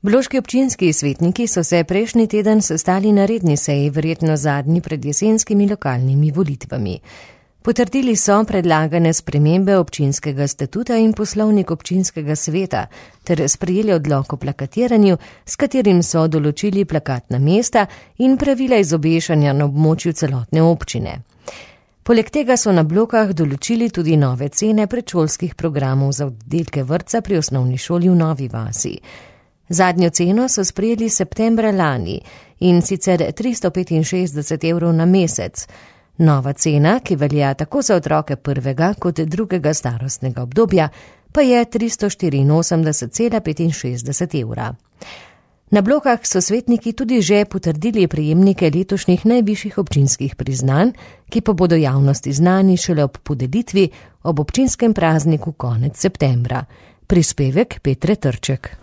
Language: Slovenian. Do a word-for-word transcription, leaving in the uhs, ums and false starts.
Bloški občinski svetniki so se prejšnji teden sestali na redni seji, verjetno zadnji pred jesenskimi lokalnimi volitvami. Potrdili so predlagane spremembe občinskega statuta in poslovnik občinskega sveta ter sprejeli odlok o plakatiranju, s katerim so določili plakatna mesta in pravila izobešanja na območju celotne občine. Poleg tega so na Blokah določili tudi nove cene predšolskih programov za oddelke vrtca pri osnovni šoli v Novi vasi. Zadnjo ceno so sprejeli septembra lani in sicer tristo petinšestdeset evrov na mesec. Nova cena, ki velja tako za otroke prvega kot drugega starostnega obdobja, pa je tristo štiriinosemdeset cela petinšestdeset evra. Na Blokah so svetniki tudi že potrdili prejemnike letošnjih najvišjih občinskih priznanj, ki pa bodo javnosti znani šele ob podelitvi ob občinskem prazniku konec septembra. Prispevek Petre Trček.